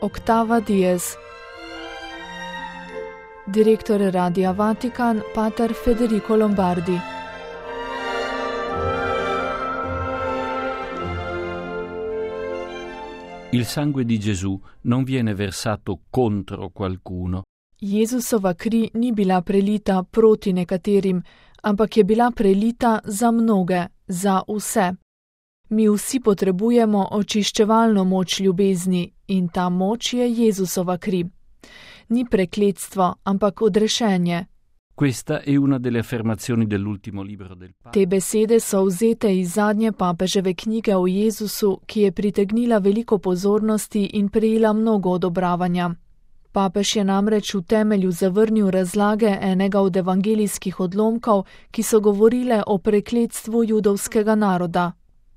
Octava Dies. Direttore Radia Vatican, pater Federico Lombardi. Il sangue di Gesù non viene versato contro qualcuno. Jezusova kri ni bila prelita proti nekaterim, ampak je bila prelita za mnoge, za vse. Mi vsi potrebujemo očiščevalno moč ljubezni in ta moč je Jezusova kri. Ni prekletstvo, ampak odrešenje. Questa è una delle affermazioni dell'ultimo libro del Papa. Te besede so vzete iz zadnje papeževe knjige o Jezusu, ki je pritegnila veliko pozornosti in prejela mnogo odobravanja. Papež je namreč v temelju zavrnil razlage enega od evangelijskih odlomkov, ki so govorile o prekletstvu judovskega naroda.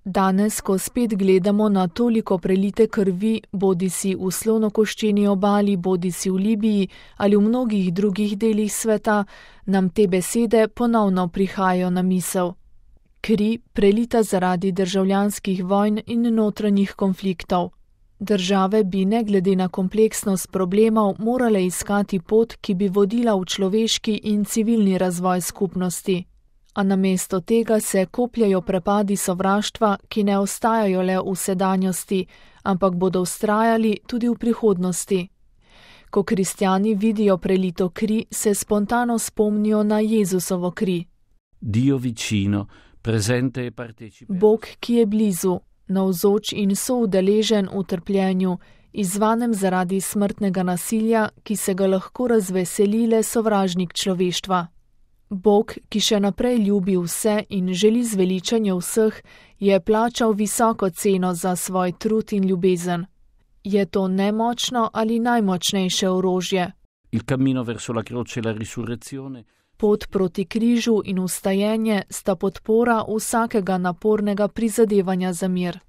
Danes, ko spet gledamo na toliko prelite krvi, bodisi v Slonokoščeni obali, bodisi v Libiji ali v mnogih drugih delih sveta, nam te besede ponovno prihajajo na misel. Kri prelita zaradi državljanskih vojn in notranjih konfliktov. Države bi ne glede na kompleksnost problemov morale iskati pot, ki bi vodila v človeški in civilni razvoj skupnosti. A namesto tega se kopljajo prepadi sovraštva, ki ne ostajajo le v sedanjosti, ampak bodo vztrajali tudi v prihodnosti. Ko kristjani vidijo prelito kri, se spontano spomnijo na Jezusovo kri. Dio vicino, presente e partecipe. Bog, ki je blizu, navzoč in soudeležen v trpljenju, izzvanem zaradi smrtnega nasilja, ki se ga lahko razveseli le sovražnik človeštva. Bog, ki še naprej ljubi vse in želi zveličanje vseh, je plačal visoko ceno za svoj trud in ljubezen. Je to nemočno ali najmočnejše orožje? Il cammino verso la croce e la risurrezione. Pot proti križu in vstajenje sta podpora vsakega napornega prizadevanja za mir.